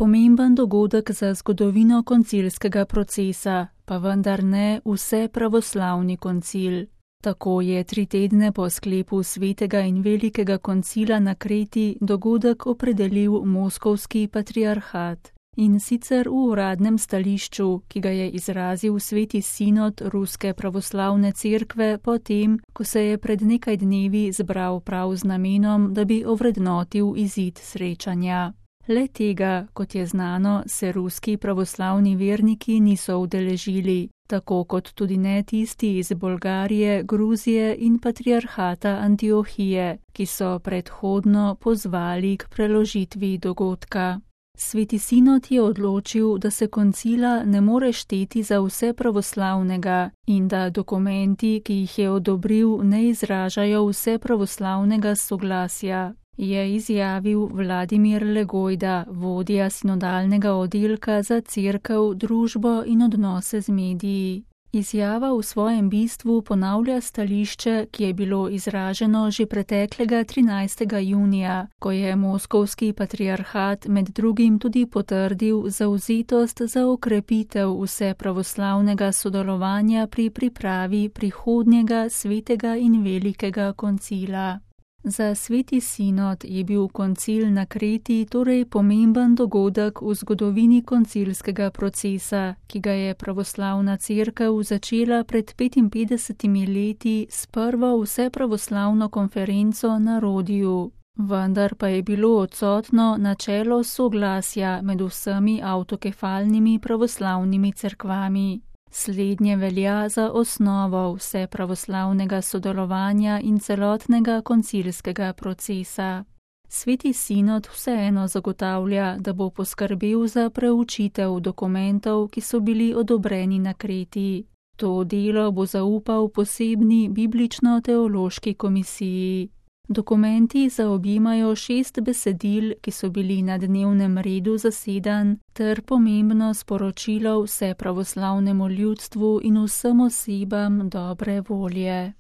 pomemben dogodek za zgodovino koncilskega procesa, pa vendar ne vsepravoslavni koncil. Tako je 3 tedne po sklepu svetega in velikega koncila na Kreti dogodek opredelil moskovski patriarhat. In sicer v uradnem stališču, ki ga je izrazil Sveti sinod Ruske pravoslavne cerkve potem, ko se je pred nekaj dnevi zbral prav z namenom, da bi ovrednotil izid srečanja. Le tega, kot je znano, se ruski pravoslavni verniki niso udeležili, tako kot tudi ne tisti iz Bolgarije, Gruzije in patriarhata Antiohije, ki so predhodno pozvali k preložitvi dogodka. Sveti sinod je odločil, da se koncila ne more šteti za vse pravoslavnega in da dokumenti, ki jih je odobril, ne izražajo vse pravoslavnega soglasja, je izjavil Vladimir Legojda, vodja sinodalnega oddelka za cerkev, družbo in odnose z mediji. Izjava v svojem bistvu ponavlja stališče, ki je bilo izraženo že preteklega 13. junija, ko je moskovski patriarhat med drugim tudi potrdil zavzetost za okrepitev vsepravoslavnega sodelovanja pri pripravi prihodnjega svetega in velikega koncila. Za Sveti sinod je bil koncil na Kreti torej pomemben dogodek v zgodovini koncilskega procesa, ki ga je pravoslavna cerkev začela pred 55 leti s prvo vsepravoslavno konferenco na Rodiju. Vendar pa je bilo odsotno načelo soglasja med vsemi avtokefalnimi pravoslavnimi cerkvami. Slednje velja za osnovo vsepravoslavnega sodelovanja in celotnega koncilskega procesa. Sveti sinod vseeno zagotavlja, da bo poskrbel za preučitev dokumentov, ki so bili odobreni na Kreti. To delo bo zaupal posebni biblično-teološki komisiji. Dokumenti zaobjemajo 6 besedil, ki so bili na dnevnem redu zasedanj, ter pomembno sporočilo vsepravoslavnemu ljudstvu in vsem osebam dobre volje.